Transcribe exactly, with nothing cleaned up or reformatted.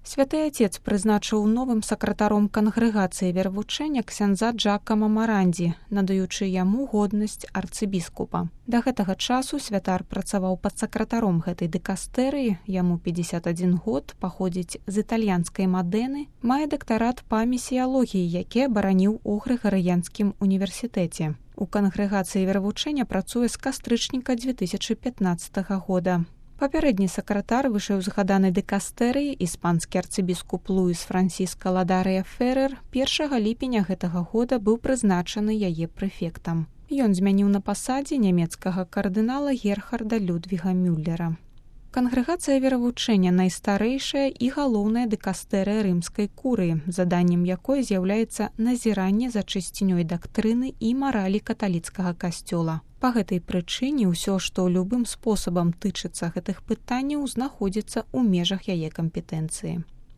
Святы Отец прызначыў новым сакратаром кангрэгацыі веравучэння ксяндза Джакама Марандзі, надаючы яму годнасць арцыбіскупа. Да гэтага часу святар працаваў падсакратаром гэтай дыкастэрыі, яму пятьдесят один год, паходзіць з італьянскай Мадэны, мае дактарат па місіялогіі, які абараніў у Грыгарыянскім універсітэце. У кангрэгацыі веравучэння працуе з кастрычніка две тысячы пятнаццатага года. Папярэдні сакратар вышэўзгаданай дыкастэрыі, іспанскі арцыбіскуп Луіс Франсіска Ладарыя Феррер, першага ліпеня гэтага года быў прызначаны яе прэфектам. Ён змяніў на пасадзе нямецкага кардынала Герхарда Людвіга Мюллера. Кангрэгацыя веравучэння найстарэйшая і галоўная дыкастэрыя рымскай курыі, заданнем якой з'яўляецца назіранне за чысцінёй дактрыны і маралі каталіцкага касцёла. Па гэтай прычыне ўсё, што любым спосабам тычыцца гэтых пытанняў, знаходзіцца ў межах яе кампетэнцыі.